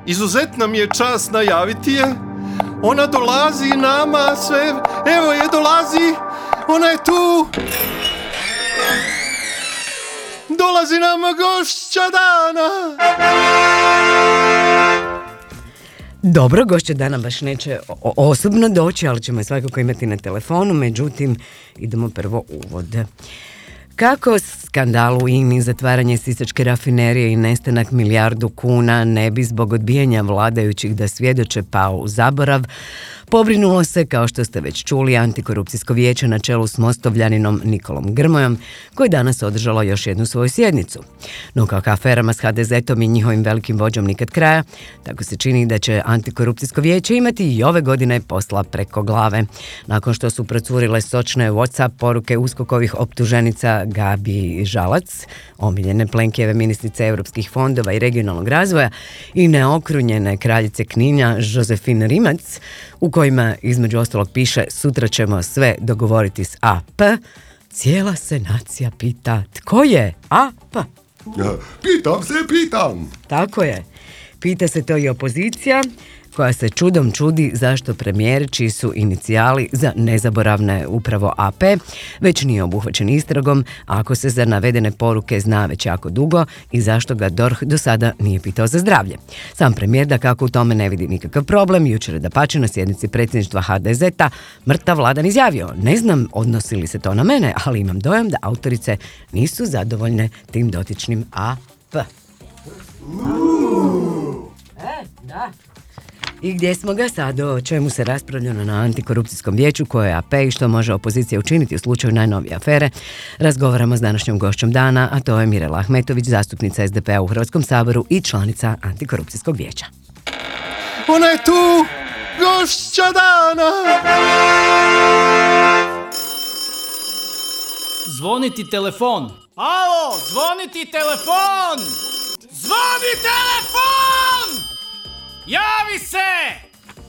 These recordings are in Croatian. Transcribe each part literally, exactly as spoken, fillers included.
izuzetna mi je čast najaviti je. Ona dolazi nama sve, evo je dolazi, ona je tu. Dolazi nama gošća dana. Dobro, gošća dana baš neće osobno doći, ali ćemo je svakako imati na telefonu, međutim, idemo prvo uvod. Kako skandal u I N A-i, zatvaranje sisačke rafinerije i nestanak milijardu kuna ne bi zbog odbijanja vladajućih da svjedoče pao u zaborav, pobrinulo se, kao što ste već čuli, Antikorupcijsko vijeće na čelu s mostovljaninom Nikolom Grmojom, koje je danas održalo još jednu svoju sjednicu. No kako aferama s ha de zetom i njihovim velikim vođom nikad kraja, tako se čini da će Antikorupcijsko vijeće imati i ove godine posla preko glave. Nakon što su procurile sočne WhatsApp poruke uskokovih optuženica Gabi Žalac, omiljene Plenkijeve ministrice europskih fondova i regionalnog razvoja, i neokrunjene kraljice Kninja Žozefine Rimac, u kojima između ostalog piše sutra ćemo sve dogovoriti s A P, cijela se nacija pita tko je A P? Pitam se, pitam. Tako je. Pita se to i opozicija, koja se čudom čudi zašto premijer, čiji su inicijali za nezaboravne upravo A P, već nije obuhvaćen istragom, ako se za navedene poruke zna već jako dugo, i zašto ga D O R H do sada nije pitao za zdravlje. Sam premijer da kako u tome ne vidi nikakav problem, jučer je dapače na sjednici predsjedništva ha de zeta mrtav Vladan izjavio: ne znam odnosi li se to na mene, ali imam dojam da autorice nisu zadovoljne tim dotičnim A P. E, da. I gdje smo ga sad, o čemu se raspravljeno na Antikorupcijskom vijeću, koje je A P i što može opozicija učiniti u slučaju najnovije afere, razgovaramo s današnjom gošćom dana, a to je Mirela Ahmetović, zastupnica es de pe a u Hrvatskom saboru i članica Antikorupcijskog vijeća. Ona je tu, gošća dana! Zvoniti telefon! Alo, zvoniti telefon! Zvoni telefon! Javi se!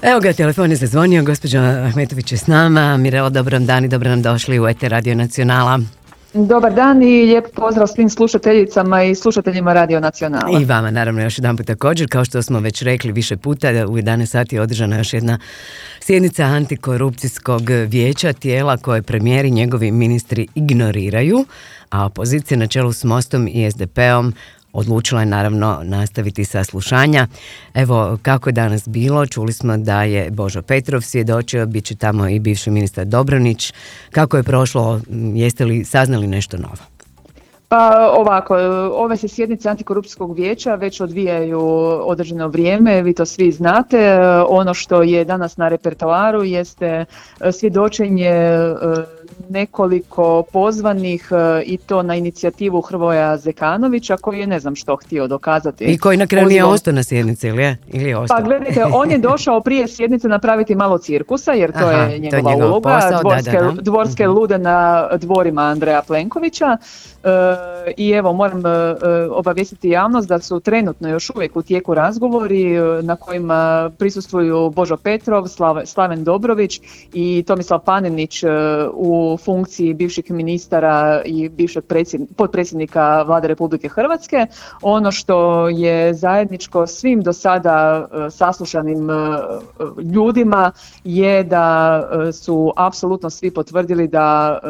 Evo ga, telefon je zazvonio, gospođa Ahmetović je s nama. Mirela, dobar nam dan i dobro nam došli u Eter Radio Nacionala. Dobar dan i lijep pozdrav svim slušateljicama i slušateljima Radio Nacionala. I vama naravno još jedan put također, kao što smo već rekli više puta, u jedanaest sati je održana još jedna sjednica Antikorupcijskog vijeća, tijela koje premijer i njegovi ministri ignoriraju, a opozicija na čelu s Mostom i es de pe-om odlučila je naravno nastaviti saslušanja. Evo kako je danas bilo, čuli smo da je Božo Petrov svjedočio, bit će tamo i bivši ministar Dobronić. Kako je prošlo, jeste li saznali nešto novo? Pa ovako, ove se sjednice Antikorupcijskog vijeća već odvijaju određeno vrijeme, vi to svi znate. Ono što je danas na repertoaru jeste svjedočenje nekoliko pozvanih i to na inicijativu Hrvoja Zekanovića, koji je ne znam što htio dokazati. I koji na kraju nije ostao na sjednici, ili je? Ili je ostao? Pa gledajte, on je došao prije sjednice napraviti malo cirkusa, jer to Aha, je njegova je uloga, posao, dvorske, da, da, da. dvorske lude na dvorima Andreja Plenkovića. E, I evo, moram e, obavijestiti javnost da su trenutno još uvijek u tijeku razgovori na kojima prisustvuju Božo Petrov, Slav, Slaven Dobrović i Tomislav Panenić e, u funkciji bivših ministara i bivšeg potpredsjednika Vlade Republike Hrvatske. Ono što je zajedničko svim do sada e, saslušanim e, ljudima je da e, su apsolutno svi potvrdili da e,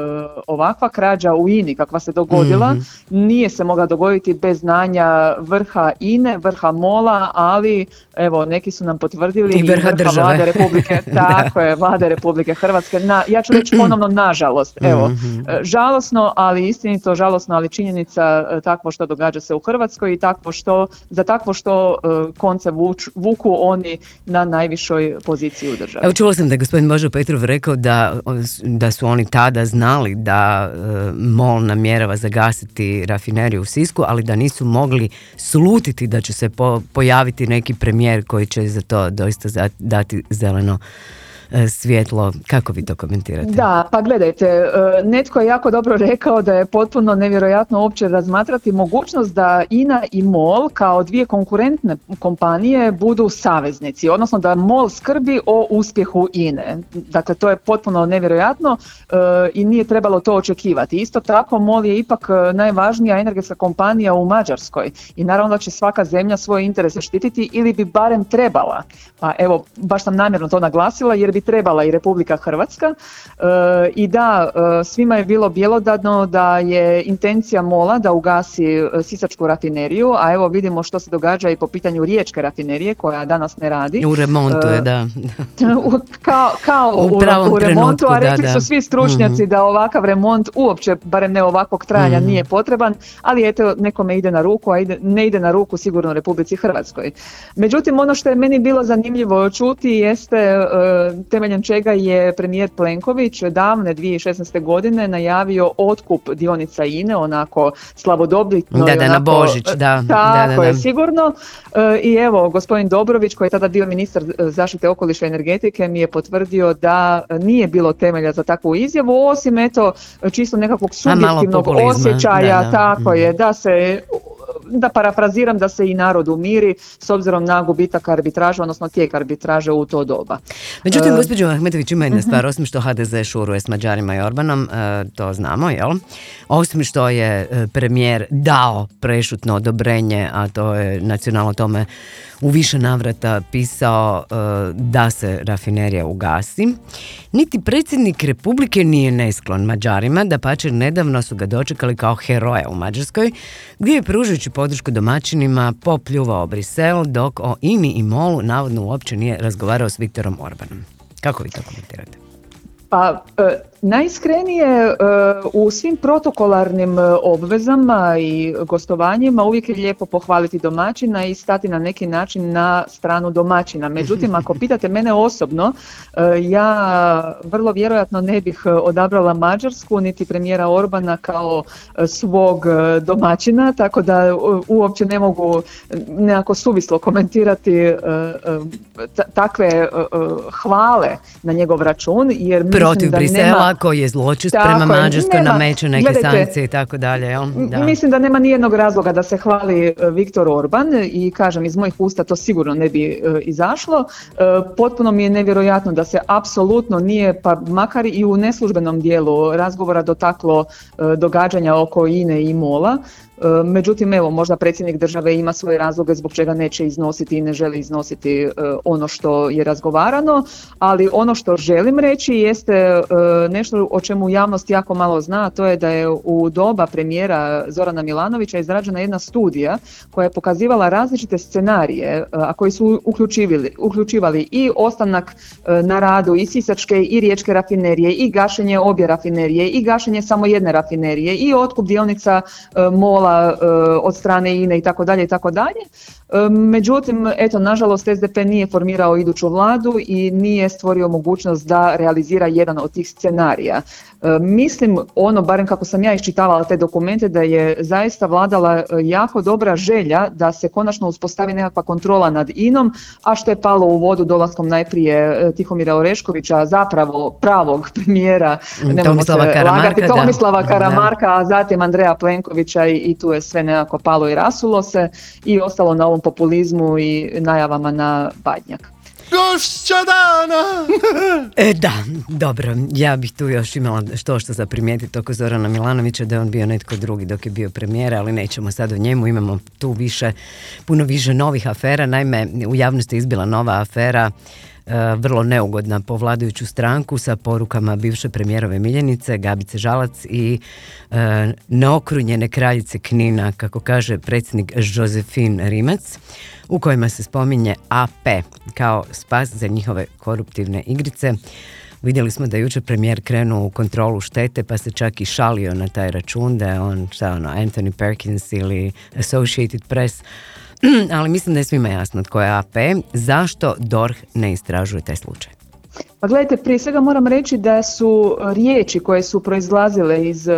ovakva krađa u I N A-i kakva se dogodila mm-hmm. nije se mogla dogoditi bez znanja vrha I N A-e, vrha MOL-a, ali evo neki su nam potvrdili i vrha, vrha Vlade Republike, tako je, Vlade Republike Hrvatske. Na, ja ću reći ponovno nažalost, evo, mm-hmm. žalosno, ali istinito, žalosno, ali činjenica takvo što događa se u Hrvatskoj i takvo što, za takvo što uh, konce vuč, vuku oni na najvišoj poziciji u državi. Evo, čula sam da je gospodin Božo Petrov rekao da, da su oni tada znali da uh, MOL namjerava zagasiti rafineriju u Sisku, ali da nisu mogli slutiti da će se po, pojaviti neki premijer koji će za to doista dati zeleno svjetlo. Kako vi to komentirate? Da, pa gledajte, netko je jako dobro rekao da je potpuno nevjerojatno uopće razmatrati mogućnost da I N A i MOL kao dvije konkurentne kompanije budu saveznici, odnosno da MOL skrbi o uspjehu I N E. Dakle, to je potpuno nevjerojatno i nije trebalo to očekivati. Isto tako, MOL je ipak najvažnija energetska kompanija u Mađarskoj i naravno da će svaka zemlja svoje interese štititi ili bi barem trebala. Pa evo, baš sam namjerno to naglasila jer bi trebala i Republika Hrvatska. E, I da, svima je bilo bjelodano da je intencija MOL-a da ugasi sisačku rafineriju, a evo vidimo što se događa i po pitanju riječke rafinerije koja danas ne radi. U remontu je, da. kao kao u, u, u remontu, a rekli da, su svi stručnjaci mm-hmm. da ovakav remont uopće, barem ne ovakvog trajanja, mm-hmm. nije potreban, ali eto, nekome ide na ruku, a ide, ne ide na ruku sigurno Republici Hrvatskoj. Međutim, ono što je meni bilo zanimljivo čuti jeste uh, temeljem čega je premijer Plenković davne dvije tisuće šesnaeste. godine najavio otkup dionica I N E, onako slavodobitno. Da, da, onako, na Božić, da. Tako da, da, je, da. sigurno. Uh, I evo, gospodin Dobrović, koji je tada bio ministar zaštite okoliša i energetike, mi je potvrdio da nije bilo temelja za takvu izjavu, osim eto, čisto nekakvog subjektivnog osjećaja, da, da. tako mm. je, da se... da parafraziram, da se i narod umiri s obzirom na gubitak arbitraže, odnosno tijek arbitraže u to doba. Međutim, uh, gospođo Ahmetović, ima jedna stvar, osim što H D Z šuruje s Mađarima i Orbanom, uh, to znamo, jel? Osim što je premijer dao prešutno odobrenje, a to je nacionalno tome u više navrata pisao uh, da se rafinerija ugasi, niti predsjednik Republike nije nesklon Mađarima, dapače nedavno su ga dočekali kao heroja u Mađarskoj, gdje je pružujući podršku domaćinima popljuvao Brisel, dok o I N I i MOL-u navodno uopće nije razgovarao s Viktorom Orbanom. Kako vi to komentirate? Pa, e, najiskrenije e, u svim protokolarnim obvezama i gostovanjima uvijek je lijepo pohvaliti domaćina i stati na neki način na stranu domaćina. Međutim, ako pitate mene osobno, e, ja vrlo vjerojatno ne bih odabrala Mađarsku niti premijera Orbana kao svog domaćina, tako da uopće ne mogu nekako suvislo komentirati e, e, t- takve e, hvale na njegov račun, jer protiv Brisela nema... koji je zločest prema Mađarskoj, nameće neke gledajte, sankcije i tako dalje. Jel? Da. Mislim da nema nijednog razloga da se hvali Viktor Orban i kažem iz mojih usta to sigurno ne bi uh, izašlo. Uh, potpuno mi je nevjerojatno da se apsolutno nije, pa makar i u neslužbenom dijelu razgovora dotaklo uh, događanja oko I N E i MOL-a. Međutim, evo, možda predsjednik države ima svoje razloge zbog čega neće iznositi i ne želi iznositi uh, ono što je razgovarano, ali ono što želim reći jeste uh, nešto o čemu javnost jako malo zna, a to je da je u doba premijera Zorana Milanovića izrađena jedna studija koja je pokazivala različite scenarije, uh, a koji su uključivali, uključivali i ostanak uh, na radu i sisačke i riječke rafinerije i gašenje obje rafinerije i gašenje samo jedne rafinerije i otkup dionica uh, MOL od strane I N E i tako dalje i tako dalje. Međutim, eto, nažalost S D P nije formirao iduću vladu i nije stvorio mogućnost da realizira jedan od tih scenarija. Mislim, ono, barem kako sam ja iščitavala te dokumente, da je zaista vladala jako dobra želja da se konačno uspostavi nekakva kontrola nad I N O-m, a što je palo u vodu dolaskom najprije Tihomira Oreškovića, zapravo pravog premijera, Tomislava Karamarka, Tomislava da. Karamarka, a zatim Andreja Plenkovića i, i tu je sve nekako palo i rasulo se i ostalo na ovom populizmu i najavama na Badnjak. Gošća dana! e, da, dobro, ja bih tu još imala što što za primijetiti oko Zorana Milanovića, da je on bio netko drugi dok je bio premijer, ali nećemo sad o njemu, imamo tu više, puno više novih afera. Naime, u javnosti je izbila nova afera, vrlo neugodna po vladajuću stranku, sa porukama bivše premijerove miljenice Gabice Žalac i e, neokrunjene kraljice Knina, kako kaže predsjednik Jožefin Rimac, u kojima se spominje A P kao spas za njihove koruptivne igrice. Vidjeli smo da je jučer premijer krenuo u kontrolu štete, pa se čak i šalio na taj račun, da je on, šta ono, Anthony Perkins ili Associated Press. Ali mislim da je svima jasno tko je A P. Zašto D O R H ne istražuje taj slučaj? Pa gledajte, prije svega moram reći da su riječi koje su proizlazile iz uh,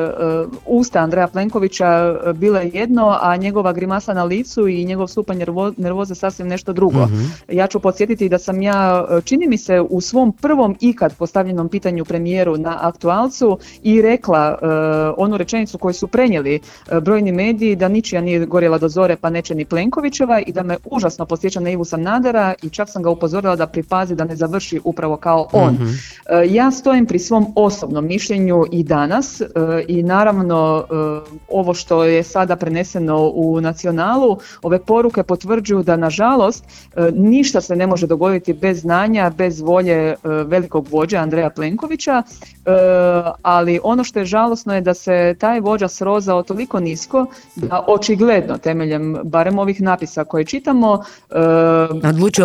usta Andreja Plenkovića bile jedno, a njegova grimasa na licu i njegov stupanj nervo, nervoze sasvim nešto drugo. Mm-hmm. Ja ću podsjetiti da sam ja, čini mi se, u svom prvom ikad postavljenom pitanju premijeru na Aktualcu i rekla uh, onu rečenicu koju su prenijeli uh, brojni mediji, da ničija nije gorjela do zore pa neće ni Plenkovićeva, i da me užasno podsjeća na Ivu Sanadera, i čak sam ga upozorila da pripazi da ne završi upravo kao on. Mm-hmm. Ja stojim pri svom osobnom mišljenju i danas i naravno ovo što je sada preneseno u Nacionalu, ove poruke potvrđuju da nažalost ništa se ne može dogoditi bez znanja, bez volje velikog vođa Andreja Plenkovića, ali ono što je žalosno je da se taj vođa srozao toliko nisko da očigledno temeljem barem ovih napisa koje čitamo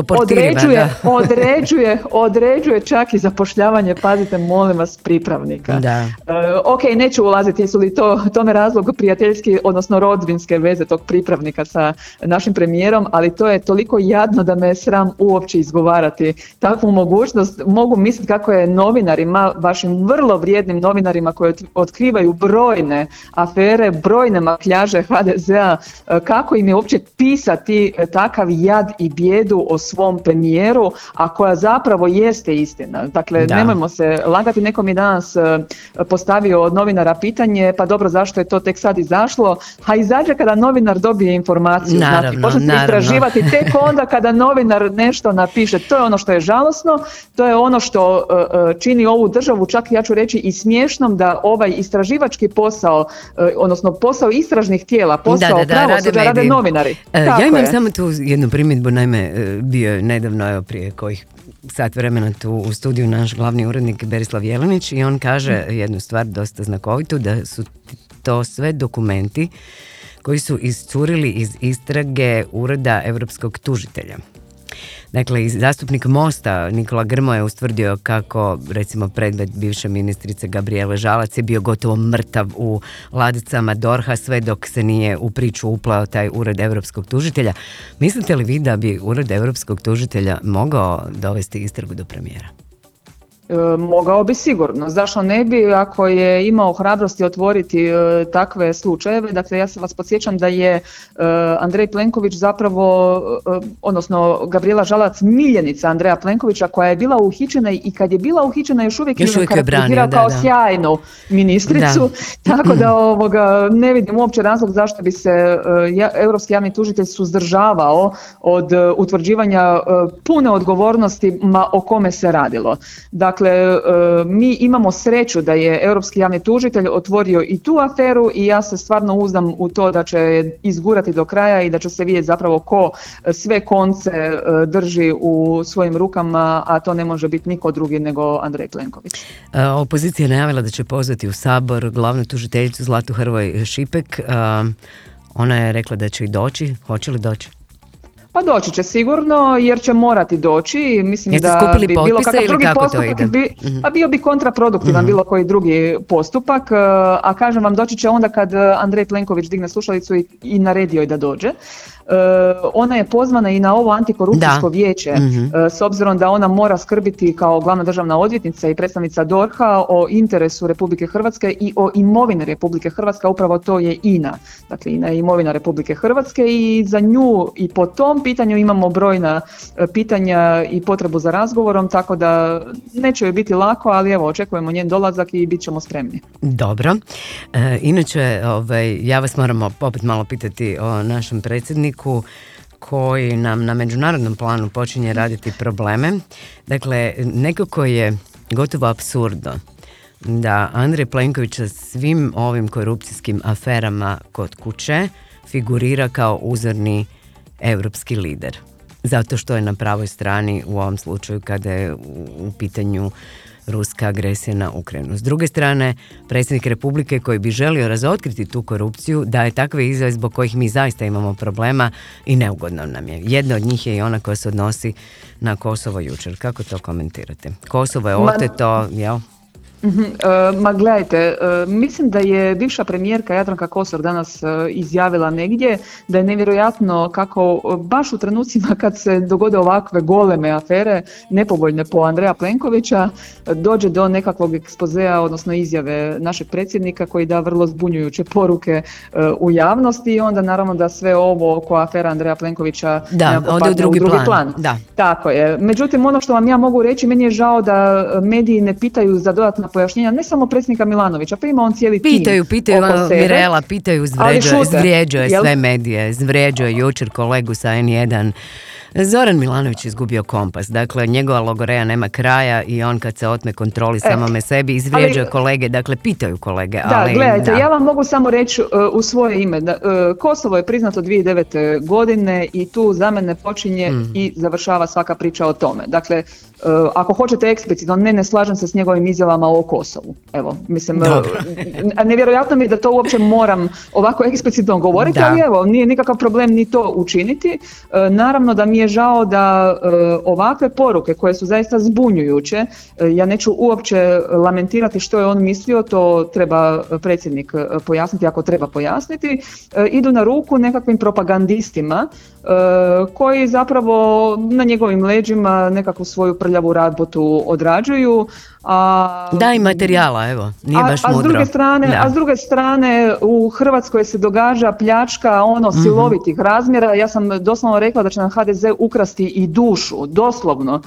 određuje, određuje, određuje čak i zapošljavanje, pazite molim vas, pripravnika. Da. Uh, ok, neću ulaziti jesu li to tome razlog prijateljski, odnosno rodbinske veze tog pripravnika sa našim premijerom, ali to je toliko jadno da me je sram uopće izgovarati takvu mogućnost. Mogu misliti kako je novinarima, vašim vrlo vrijednim novinarima koji otkrivaju brojne afere, brojne makljaže ha de zea, kako im je uopće pisati takav jad i bijedu o svom premijeru, a koja zapravo jeste istina. Dakle, da. Nemojmo se lagati, nekom je danas postavio od novinara pitanje, pa dobro, zašto je to tek sad izašlo? A izađe kada novinar dobije informaciju, naravno, znači, počne se istraživati tek onda kada novinar nešto napiše. To je ono što je žalosno, to je ono što uh, čini ovu državu, čak ja ću reći i smiješnom, da ovaj istraživački posao, uh, odnosno posao istražnih tijela, posao da, da, da, pravosuđa rade, rade novinari. Uh, ja imam je. samo tu jednu primjedbu, naime, bio je nedavno, evo prije kojih sat vremena tu u studiju naš glavni urednik Berislav Jelenić i on kaže jednu stvar dosta znakovitu, da su to sve dokumenti koji su iscurili iz istrage Ureda europskog tužitelja. Dakle, zastupnik Mosta Nikola Grmoja je ustvrdio kako, recimo, predmet bivše ministrice Gabrijele Žalac je bio gotovo mrtav u ladicama dorha sve dok se nije u priču uplao taj Ured europskog tužitelja. Mislite li vi da bi Ured europskog tužitelja mogao dovesti istragu do premijera? E, mogao bi sigurno. Zašto ne bi, ako je imao hrabrosti otvoriti e, takve slučajeve. Dakle, ja se vas podsjećam da je e, Andrej Plenković zapravo, e, odnosno Gabrijela Žalac, miljenica Andreja Plenkovića, koja je bila uhićena i kad je bila uhićena još uvijek je karakterizirao kao da, da. sjajnu ministricu. Da. Tako da ovoga, ne vidim uopće razlog zašto bi se e, ja, europski javni tužitelj suzdržavao od e, utvrđivanja e, pune odgovornosti ma o kome se radilo. Dakle, mi imamo sreću da je europski javni tužitelj otvorio i tu aferu i ja se stvarno uzdam u to da će izgurati do kraja i da će se vidjeti zapravo ko sve konce drži u svojim rukama, a to ne može biti niko drugi nego Andrej Plenković. Opozicija je najavila da će pozvati u Sabor glavnu tužiteljicu Zlatu Hrvoj Šipek. Ona je rekla da će i doći. Hoće li doći? Pa doći će sigurno, jer će morati doći. Mislim Jeste da bi bilo kakav drugi postupak, bi, a bio bi kontraproduktivan mm-hmm. bilo koji drugi postupak, a kažem vam, doći će onda kad Andrej Plenković digne slušalicu i, i naredi joj da dođe. Uh, ona je pozvana i na ovo antikorupcijsko da. vijeće, mm-hmm. uh, s obzirom da ona mora skrbiti kao glavna državna odvjetnica i predstavnica dorha o interesu Republike Hrvatske i o imovine Republike Hrvatske, upravo to je I N A. Dakle, I N A je imovina Republike Hrvatske i za nju i po tom pitanju imamo brojna uh, pitanja i potrebu za razgovorom, tako da neće joj biti lako, ali evo, očekujemo njen dolazak i bit ćemo spremni. Dobro. E, inače, ovaj, ja vas moram opet malo pitati o našem predsjedniku koji nam na međunarodnom planu počinje raditi probleme. Dakle, nekako je gotovo apsurdno da Andrej Plenković sa svim ovim korupcijskim aferama kod kuće figurira kao uzorni europski lider. Zato što je na pravoj strani u ovom slučaju kada je u pitanju ruska agresija na Ukrajinu. S druge strane, predsjednik Republike koji bi želio razotkriti tu korupciju daje takve izjave zbog kojih mi zaista imamo problema i neugodno nam je. Jedna od njih je i ona koja se odnosi na Kosovo jučer. Kako to komentirate? Kosovo je oteto, jel? Uh-huh. Uh, ma gledajte, uh, mislim da je bivša premijerka Jadranka Kosor danas uh, izjavila negdje da je nevjerojatno kako uh, baš u trenucima kad se dogode ovakve goleme afere, nepovoljne po Andreja Plenkovića, uh, dođe do nekakvog ekspozea, odnosno izjave našeg predsjednika koji da vrlo zbunjujuće poruke uh, u javnosti i onda naravno da sve ovo oko afera Andreja Plenkovića da, ode u drugi, u drugi plan. plan. Da. Tako je. Međutim, ono što vam ja mogu reći, meni je žao da mediji ne pitaju za dodatna pojašnjenja, ne samo predsjednika Milanovića, pa ima on cijeli tim. Pitaju, pitaju ono, Mirela, pitaju, zvrijeđuje sve medije, zvrijeđuje jučer kolegu sa en jedan. Zoran Milanović izgubio kompas, dakle njegova logoreja nema kraja i on kad se otme kontroli samome sebi izvrijeđuje kolege, dakle pitaju kolege. Da, ali, gledajte, da. ja vam mogu samo reći uh, u svoje ime, da, uh, Kosovo je priznato dvije tisuće devete. godine i tu za mene počinje mm. i završava svaka priča o tome. Dakle, uh, ako hoćete eksplicitno, ne, ne slažem se s njegovim izjavama o Kosovu. Evo, mislim, uh, nevjerojatno mi je da to uopće moram ovako eksplicitno govoriti, da. Ali evo, nije nikakav problem ni to učiniti. Uh, naravno da mi je žao da uh, ovakve poruke koje su zaista zbunjujuće, uh, ja neću uopće lamentirati što je on mislio, to treba predsjednik uh, pojasniti ako treba pojasniti, uh, idu na ruku nekakvim propagandistima uh, koji zapravo na njegovim leđima nekakvu svoju prljavu rabotu odrađuju. A, da, i materijala, evo, nije baš a, a mudro. S druge strane, a s druge strane u Hrvatskoj se događa pljačka ono silovitih mm-hmm. razmjera. Ja sam doslovno rekla da će nam ha de ze ukrasti i dušu, doslovno, uh,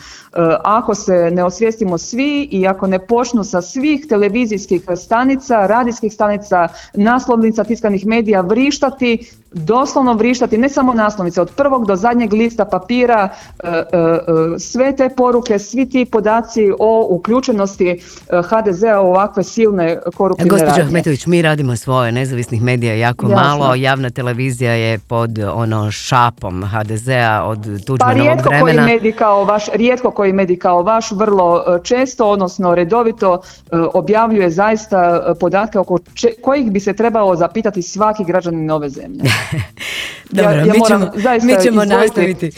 ako se ne osvijestimo svi i ako ne počnu sa svih televizijskih stanica, radijskih stanica, naslovnica, tiskanih medija vrištati, doslovno vrištati, ne samo naslovnice, od prvog do zadnjeg lista papira, uh, uh, sve te poruke, svi ti podaci o uključenosti ha de zea u ovakve silne koruptivne radnje. Gospođo Ahmetović, mi radimo svoje, nezavisnih medija jako Jasno. malo, javna televizija je pod ono šapom ha de zea od Tuđmanovog pa rijetko vremena. Koji medij kao vaš, rijetko koji medij kao vaš vrlo često, odnosno redovito objavljuje zaista podatke oko če, kojih bi se trebao zapitati svaki građanin ove zemlje. Dobro, ja, ja mi ćemo, mi ćemo izvojiti. nastaviti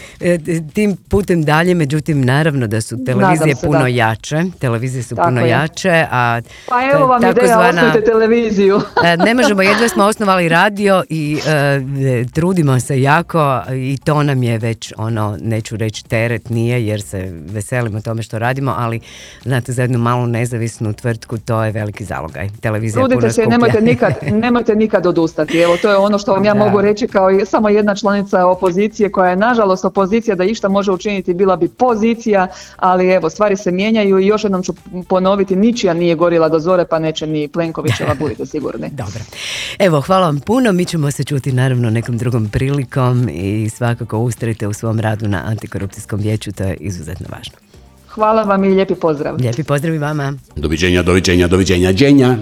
tim putem dalje, međutim naravno da su televizije se, puno da. jače, televizije su Tako puno je. jače, a pa evo vam ideja, zvana, osnovite televiziju. Ne možemo, jedva smo osnovali radio i uh, trudimo se jako i to nam je već ono, neću reći teret, nije jer se veselimo tome što radimo, ali znate, za jednu malu nezavisnu tvrtku to je veliki zalogaj. Televizija Trudite puno se, skuplja. nemojte nikad, nemojte nikad odustati. Evo, to je ono što vam ja da. mogu reći kao samo jedna članica opozicije koja je nažalost opozicija, da išta može učiniti bila bi pozicija, ali evo, stvari se mijenjaju i još jednom ću ponoviti, ničija nije gorila do zore, pa neće ni Plenkovićeva, budite sigurni. Dobro. Evo, hvala vam puno, mi ćemo se čuti naravno nekom drugom prilikom i svakako ustrajte u svom radu na Antikorupcijskom vijeću, to je izuzetno važno. Hvala vam i lijepi pozdrav. Lijepi pozdrav i vama. Doviđenja, doviđenja, doviđenja, dženja.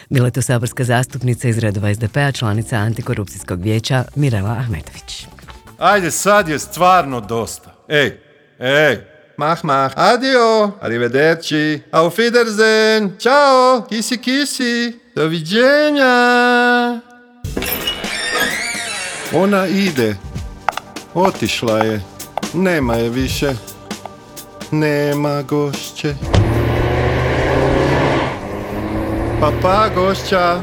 Bila je to saborska zastupnica iz redova es de pe a, članica Antikorupcijskog vijeća Mirela Ahmetović. Ajde, sad je stvarno dosta. Ej, ej, mah, mah, adio, arrivederci, auf Wiedersehen, ciao, kisi, kisi, doviđenja. Ona ide, otišla je, nema je više. Nema gošće. Pa pa gošća.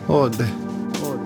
Ode. Ode.